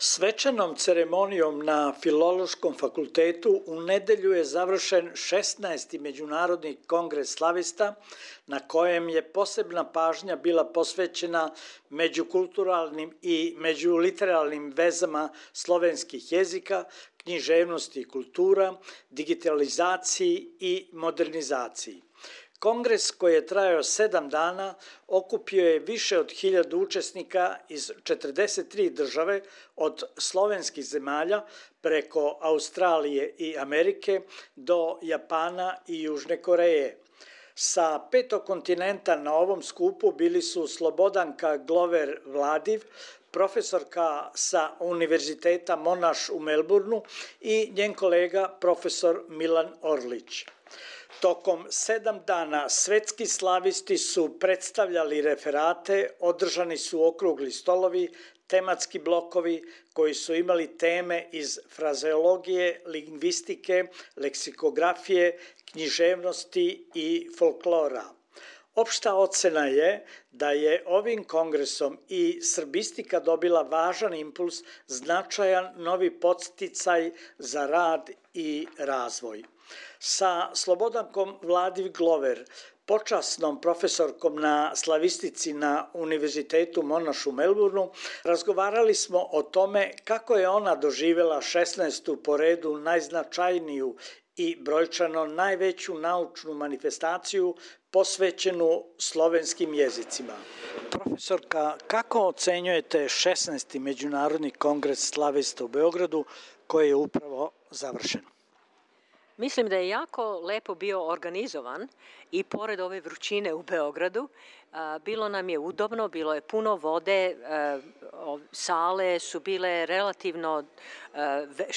Svečanom ceremonijom na Filološkom fakultetu u nedelju je završen 16. Međunarodni kongres slavista na kojem je posebna pažnja bila posvećena međukulturalnim i međuliteralnim vezama slovenskih jezika, književnosti i kultura, digitalizaciji i modernizaciji. Kongres koji je trajao 7 dana okupio je više od 1000 učesnika iz 43 države od slovenskih zemalja preko Australije i Amerike do Japana i Južne Koreje. Sa 5. kontinenta na ovom skupu bili su Slobodanka Glover Vladiv, profesorka sa Univerziteta Monash u Melbourneu i njen kolega profesor Milan Orlić. Tokom 7 dana svetski slavisti su predstavljali referate, održani su okrugli stolovi, tematski blokovi koji su imali teme iz frazeologije, lingvistike, leksikografije, književnosti i folklora. Opšta ocena je da je ovim kongresom i srbistika dobila važan impuls, značajan novi podsticaj za rad i razvoj. Sa Slobodankom Vladiv Glover, počasnom profesorkom na slavistici na Univerzitetu Monash u Melbourneu, razgovarali smo o tome kako je ona doživjela 16. po redu najznačajniju i brojčano najveću naučnu manifestaciju posvećenu slovenskim jezicima. Profesorka, kako ocenjujete 16. Međunarodni kongres slavista u Beogradu koji je upravo završen? Mislim da je jako lepo bio organizovan i pored ove vrućine u Beogradu bilo nam je udobno, bilo je puno vode, sale su bile relativno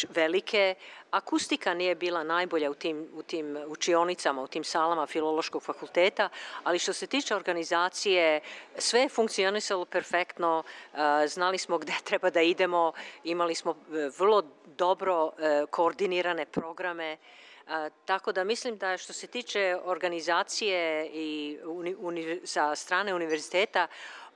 velike, akustika nije bila najbolja u tim učionicama, u tim salama Filološkog fakulteta, ali što se tiče organizacije, sve je funkcionisalo perfektno, znali smo gde treba da idemo, imali smo vrlo dobro koordinirane programe, tako da mislim da što se tiče organizacije i sa strane univerziteta,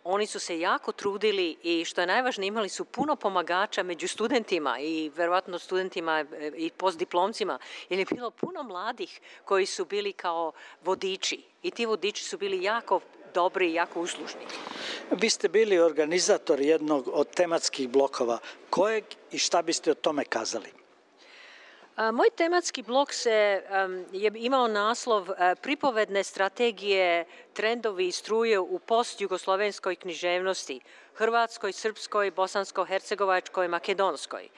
oni su se jako trudili i što je najvažnije imali su puno pomagača među studentima i verovatno studentima i postdiplomcima, jer je bilo puno mladih koji su bili kao vodiči i ti vodiči su bili jako dobri i jako uslužni. Vi ste bili organizator jednog od tematskih blokova. Kojeg i šta biste o tome kazali? Moj tematski blok je imao naslov Pripovedne strategije, trendovi i struje u post-jugoslovenskoj književnosti, hrvatskoj, srpskoj, bosansko-hercegovačkoj, makedonskoj.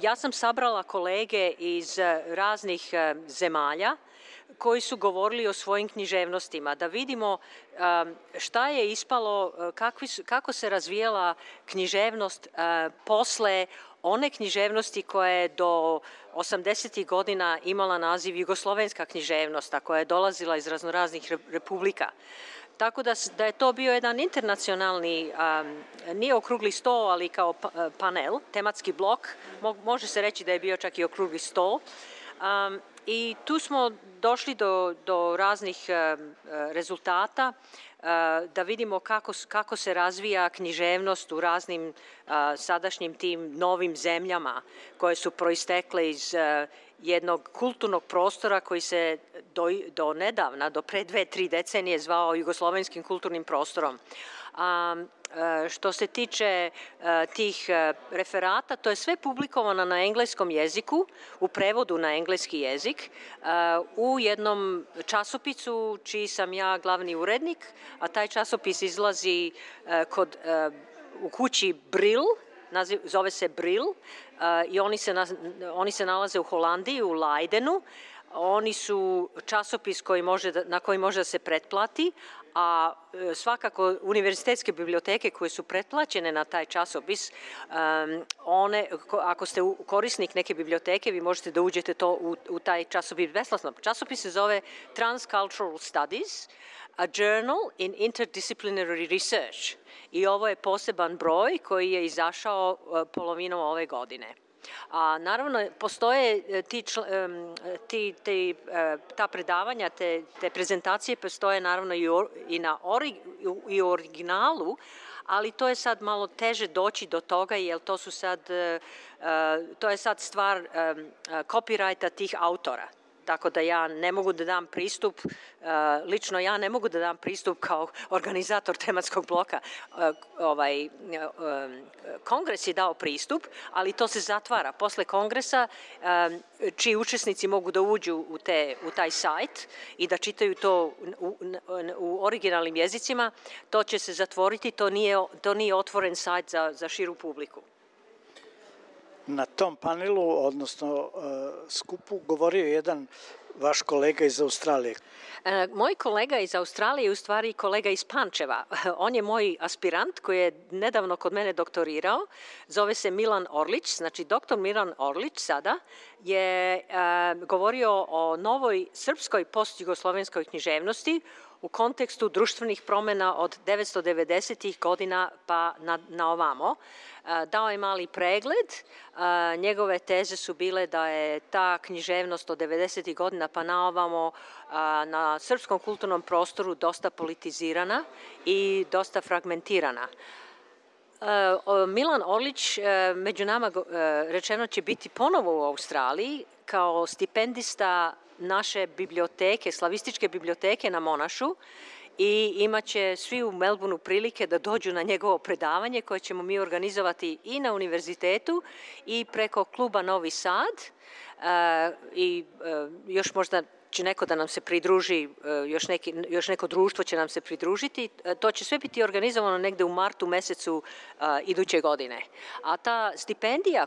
Ja sam sabrala kolege iz raznih zemalja koji su govorili o svojim književnostima, da vidimo šta je ispalo, kako se razvijala književnost posle one književnosti koja je do 80. godina imala naziv Jugoslovenska književnost, a koja je dolazila iz raznoraznih republika. Tako da je to bio jedan internacionalni, nije okrugli sto, ali kao panel, tematski blok, može se reći da je bio čak i okrugli sto. I tu smo došli do raznih rezultata, da vidimo kako se razvija književnost u raznim sadašnjim tim novim zemljama koje su proistekle iz jednog kulturnog prostora koji se do nedavna, do pre 2-3 decenije zvao jugoslovenskim kulturnim prostorom. Što se tiče tih referata, to je sve publikovano na engleskom jeziku, u prevodu na engleski jezik, u jednom časopisu čiji sam ja glavni urednik, a taj časopis izlazi u kući Brill, zove se Brill, i oni se nalaze u Holandiji, u Leidenu. Oni su časopis na koji može da se pretplati, a svakako univerzitetske biblioteke koje su pretplaćene na taj časopis, ako ste korisnik neke biblioteke, vi možete da uđete u taj časopis besplatno. Časopis se zove Transcultural Studies, a Journal in Interdisciplinary Research. I ovo je poseban broj koji je izašao polovinom ove godine. A naravno, postoje ta predavanja, te prezentacije postoje naravno i u originalu, ali to je sad malo teže doći do toga, jer to je sad stvar copyrighta tih autora. Tako da ja ne mogu da dam pristup, lično ja ne mogu da dam pristup kao organizator tematskog bloka. Kongres je dao pristup, ali to se zatvara. Posle kongresa, čiji učesnici mogu da uđu u taj sajt i da čitaju to u originalnim jezicima, to će se zatvoriti, to nije otvoren sajt za širu publiku. Na tom panelu, odnosno skupu, govorio je jedan vaš kolega iz Australije. Moj kolega iz Australije je u stvari kolega iz Pančeva. On je moj aspirant koji je nedavno kod mene doktorirao. Zove se Milan Orlić. Znači, doktor Milan Orlić sada je govorio o novoj srpskoj postjugoslovenskoj književnosti u kontekstu društvenih promena od 990. godina pa na ovamo. Dao je mali pregled. Njegove teze su bile da je ta književnost od 90. godina pa na ovamo na srpskom kulturnom prostoru dosta politizirana i dosta fragmentirana. Milan Orlić, među nama rečeno, će biti ponovo u Australiji kao stipendista naše biblioteke, slavističke biblioteke na Monašu, i imaće svi u Melbourneu prilike da dođu na njegovo predavanje koje ćemo mi organizovati i na univerzitetu i preko kluba Novi Sad, i još možda će neko da nam se pridruži, još neko društvo će nam se pridružiti. To će sve biti organizovano negde u martu mesecu iduće godine. A ta stipendija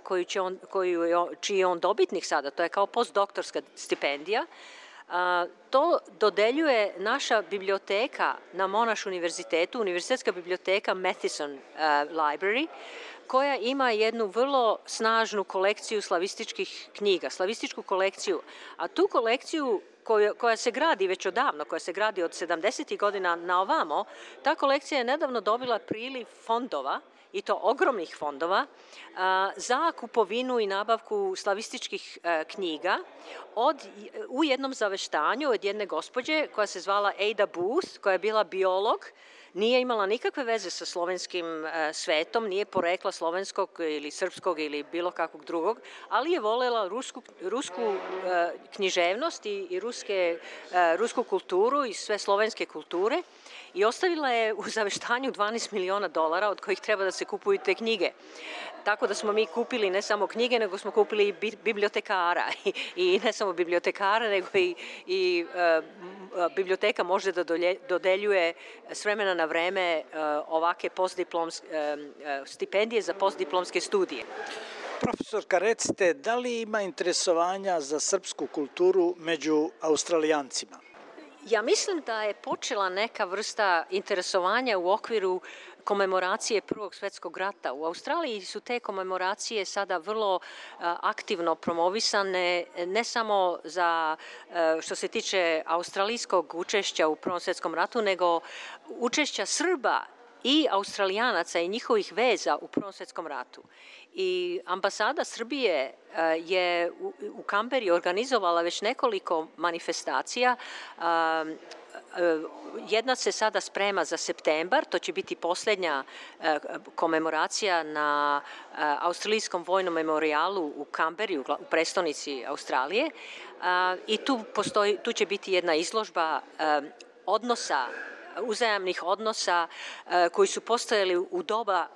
čiji je on dobitnik sada, to je kao postdoktorska stipendija, to dodeljuje naša biblioteka na Monash univerzitetu, univerzitetska biblioteka Matheson Library, koja ima jednu vrlo snažnu kolekciju slavističkih knjiga, slavističku kolekciju, a tu kolekciju koja se gradi već odavno, koja se gradi od 70. godina na ovamo, ta kolekcija je nedavno dobila priliv fondova, i to ogromnih fondova, za kupovinu i nabavku slavističkih knjiga u jednom zaveštanju od jedne gospođe koja se zvala Ada Booth, koja je bila biolog, nije imala nikakve veze sa slovenskim svetom, nije porekla slovenskog ili srpskog ili bilo kakvog drugog, ali je volela rusku književnost i rusku kulturu i sve slovenske kulture i ostavila je u zaveštanju $12 miliona od kojih treba da se kupuju te knjige. Tako da smo mi kupili ne samo knjige, nego smo kupili i bibliotekara. I ne samo bibliotekara, nego i biblioteka može da dodeljuje s vremena na vreme ovake stipendije za postdiplomske studije. Profesorka, recite, da li ima interesovanja za srpsku kulturu među Australijancima? Ja mislim da je počela neka vrsta interesovanja u okviru komemoracije Prvog svetskog rata. U Australiji su te komemoracije sada vrlo aktivno promovisane, ne samo za što se tiče australijskog učešća u Prvom svetskom ratu, nego učešća Srba i Australijanaca i njihovih veza u Prvom svetskom ratu. I ambasada Srbije je u Kamberi organizovala već nekoliko manifestacija. Jedna se sada sprema za septembar, to će biti poslednja komemoracija na Australijskom vojnom memorijalu u Kamberi, u prestonici Australije, i tu će biti jedna izložba uzajamnih odnosa koji su postojali u doba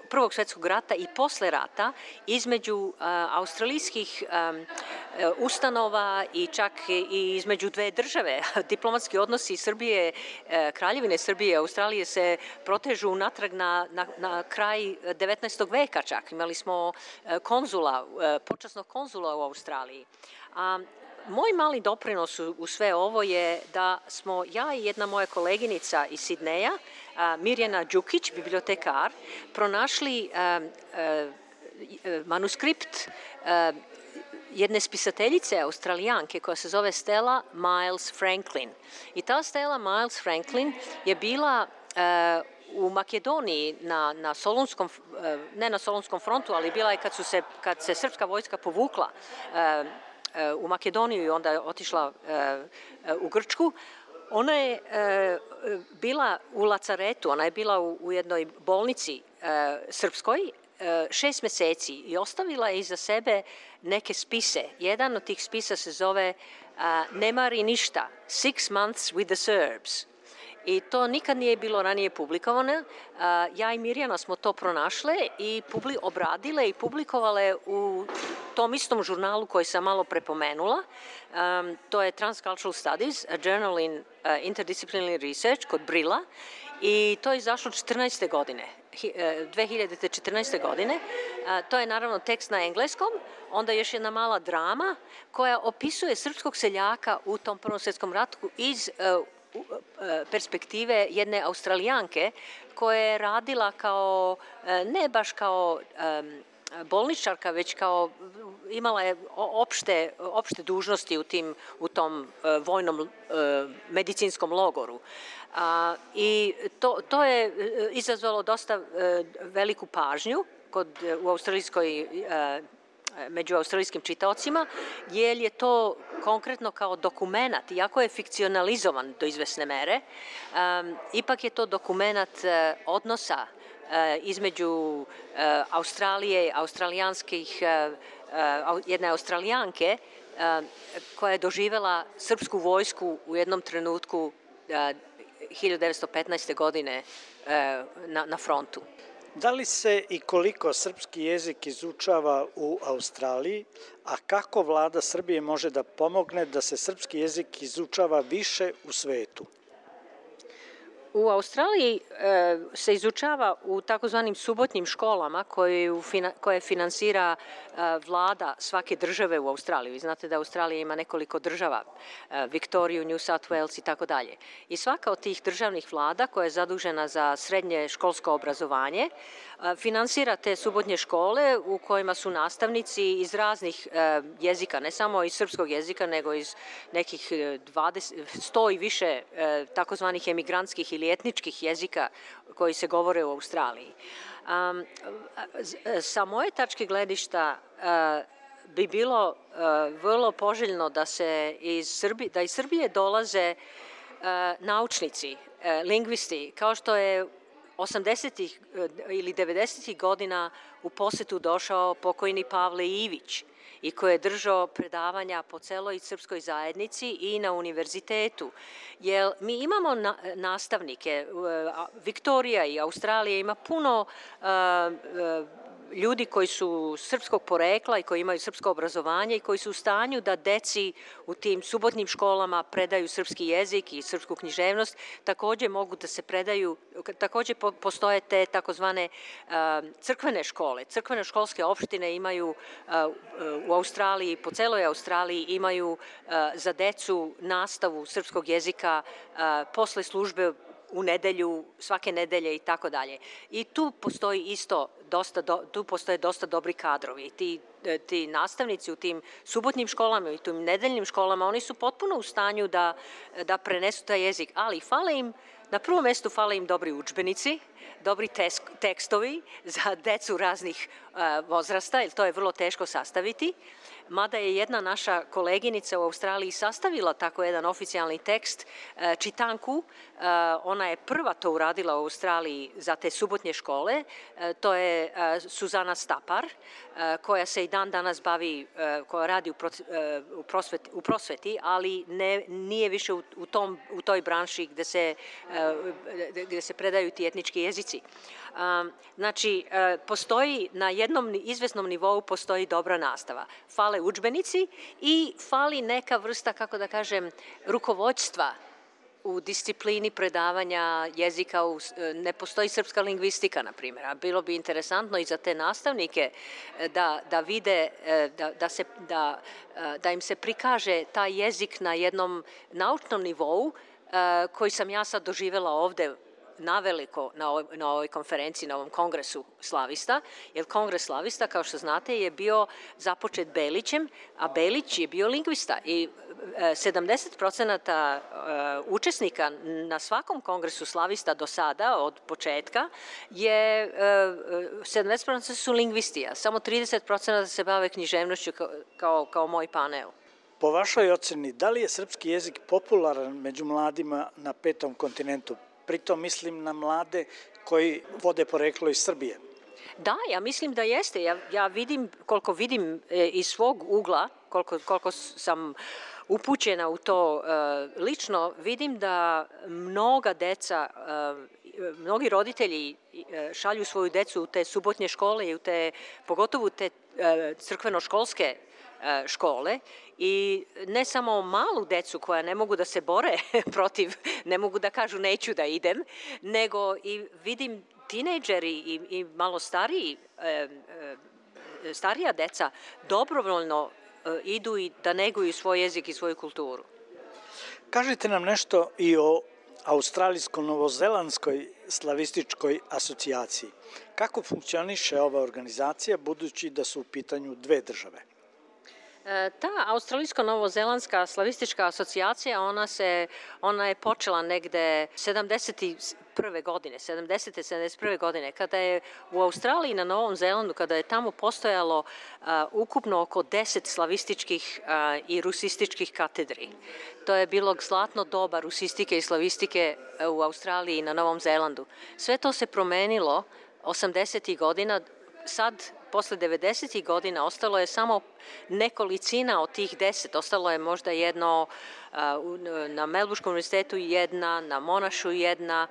Prvog svetskog rata i posle rata između australijskih ustanova i čak i između dve države. Diplomatski odnosi Srbije, Kraljevine Srbije i Australije se protežu natrag na kraj 19. veka čak. Imali smo počasnog konzula u Australiji. Moj mali doprinos u sve ovo je da smo ja i jedna moja koleginica iz Sidneja, Mirjana Đukić, bibliotekar, pronašli manuskript jedne spisateljice Australijanke koja se zove Stella Miles Franklin. I ta Stella Miles Franklin je bila u Makedoniji na Solunskom, ne na Solunskom frontu, ali bila je kad se srpska vojska povukla u Makedoniju i onda je otišla u Grčku. Ona je bila u lacaretu, ona je bila u jednoj bolnici srpskoj 6 meseci i ostavila je iza sebe neke spise. Jedan od tih spisa se zove Ne mari ništa, 6 months with the Serbs. I to nikad nije bilo ranije publikovano. Ja i Mirjana smo to pronašle i obradile i publikovale u tom istom žurnalu koji sam malo prepomenula. To je Transcultural Studies, a Journal in Interdisciplinary Research kod Brilla i to je izašlo 2014. godine. 2014. godine. To je naravno tekst na engleskom, onda još jedna mala drama koja opisuje srpskog seljaka u tom Prvom svjetskom ratu iz perspektive jedne Australijanke koja je radila kao, ne baš kao bolničarka, već kao imala je opšte dužnosti u tom vojnom medicinskom logoru. I to je izazvalo dosta veliku pažnju među australijskim čitaocima, jer je to konkretno kao dokumenat, iako je fikcionalizovan do izvesne mere, ipak je to dokumenat odnosa između Australije, jedne Australijanke koja je doživela srpsku vojsku u jednom trenutku 1915. godine na frontu. Da li se i koliko srpski jezik izučava u Australiji, a kako vlada Srbije može da pomogne da se srpski jezik izučava više u svetu? U Australiji se izučava u takozvanim subotnjim školama koje finansira vlada svake države u Australiji. Vi znate da Australija ima nekoliko država, Viktoriju, New South Wales i tako dalje. I svaka od tih državnih vlada koja je zadužena za srednje školsko obrazovanje finansira te subotnje škole u kojima su nastavnici iz raznih jezika, ne samo iz srpskog jezika, nego iz nekih 100 i više takozvanih emigrantskih ili etničkih jezika koji se govore u Australiji. Sa moje tačke gledišta bi bilo vrlo poželjno da iz Srbije dolaze naučnici, lingvisti, kao što je 80. ili 90. godina u posetu došao pokojni Pavle Ivić i koji je držao predavanja po celoj srpskoj zajednici i na univerzitetu. Jer mi imamo nastavnike, Viktorija i Australija ima puno ljudi koji su srpskog porekla i koji imaju srpsko obrazovanje i koji su u stanju da deci u tim subotnim školama predaju srpski jezik i srpsku književnost, takođe mogu da se predaju, takođe postoje te takozvane crkvene škole. Crkvene školske opštine imaju u Australiji, po celoj Australiji imaju za decu nastavu srpskog jezika posle službe u nedelju, svake nedelje i tako dalje. I tu postoji isto tu postoje dosta dobri kadrovi. Ti nastavnici u tim subotnim školama i tim nedeljnim školama, oni su potpuno u stanju da prenesu taj jezik, ali na prvom mestu fale im dobri udžbenici, dobri tekstovi za decu raznih возrasta, jer to je vrlo teško sastaviti. Mada je jedna naša koleginica u Australiji sastavila tako jedan oficijalni tekst, čitanku, ona je prva to uradila u Australiji za te subotnje škole, to je Suzana Stapar, koja se i dan danas bavi, koja radi u prosveti, ali nije više u toj branši gde se predaju ti etnički jezici. Znači, postoji na jednom izvesnom nivou postoji dobra nastava. Fale udžbenici i fali neka vrsta, kako da kažem, rukovodstva u disciplini predavanja jezika, ne postoji srpska lingvistika, na primjer, a bilo bi interesantno i za te nastavnike da vide, da im se prikaže taj jezik na jednom naučnom nivou koji sam ja sad doživela ovde naveliko na ovoj konferenciji, na ovom kongresu slavista, jer kongres slavista, kao što znate, je bio započet Belićem, a Belić je bio lingvista i 70% učesnika na svakom kongresu slavista do sada, od početka, 70% su lingvisti, a samo 30% se bave književnošću kao moj panel. Po vašoj oceni, da li je srpski jezik popularan među mladima na 5. kontinentu? Pritom mislim na mlade koji vode poreklo iz Srbije. Da, ja mislim da jeste. Ja vidim, koliko vidim iz svog ugla, koliko sam upućena u to lično, vidim da mnoga deca, mnogi roditelji šalju svoju decu u te subotnje škole i pogotovo u te crkveno-školske škole i ne samo malu decu koja ne mogu da se bore protiv, ne mogu da kažu neću da idem, nego i vidim tinejdžeri i malo starija deca dobrovoljno idu i da neguju svoj jezik i svoju kulturu. Kažite nam nešto i o Australijsko-novozelandskoj slavističkoj asocijaciji. Kako funkcioniše ova organizacija, budući da su u pitanju dve države? Ta Australijsko-novozelandska slavistička asocijacija, ona je počela negde 71. godine, kada je u Australiji na Novom Zelandu, kada je tamo postojalo ukupno oko 10 slavističkih i rusističkih katedri. To je bilo zlatno doba rusistike i slavistike u Australiji i na Novom Zelandu. Sve to se promenilo 80. godina, sad posle 90. godina ostalo je samo nekolicina od tih 10, ostalo je možda jedno na Melbourneskom univerzitetu jedna, na Monašu jedna.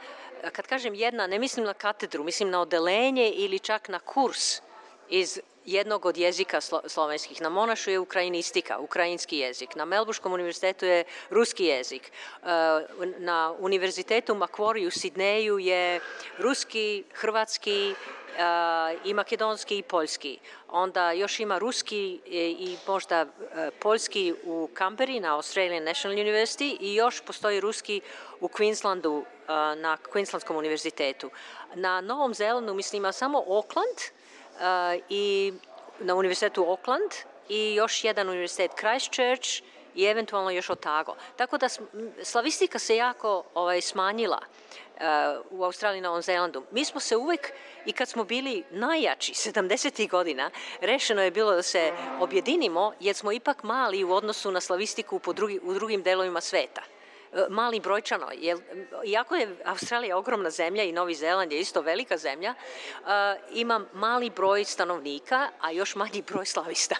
Kad kažem jedna, ne mislim na katedru, mislim na odelenje ili čak na kurs iz jednog od jezika slovenskih. Na Monašu je ukrajinistika, ukrajinski jezik. Na Melbourneskom univerzitetu je ruski jezik. Na univerzitetu Macquarie u Sidneju je ruski, hrvatski i makedonski i poljski. Onda još ima ruski i možda poljski u Canberri na Australian National University i još postoji ruski u Queenslandu na Queenslandskom univerzitetu. Na Novom Zelandu mislim ima samo Auckland i na univerzitetu Auckland i još jedan univerzitet Christchurch i eventualno još Otago. Tako da slavistika se jako smanjila u Australiji i Novom Zelandu. Mi smo se uvek, i kad smo bili najjači, 70. godina, rešeno je bilo da se objedinimo, jer smo ipak mali u odnosu na slavistiku u drugim delovima sveta. Mali brojčano, iako je Australija ogromna zemlja i Novi Zeland je isto velika zemlja, ima mali broj stanovnika, a još manji broj slavista.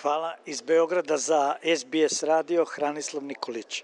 Hvala. Iz Beograda za SBS radio Hranislav Nikolić.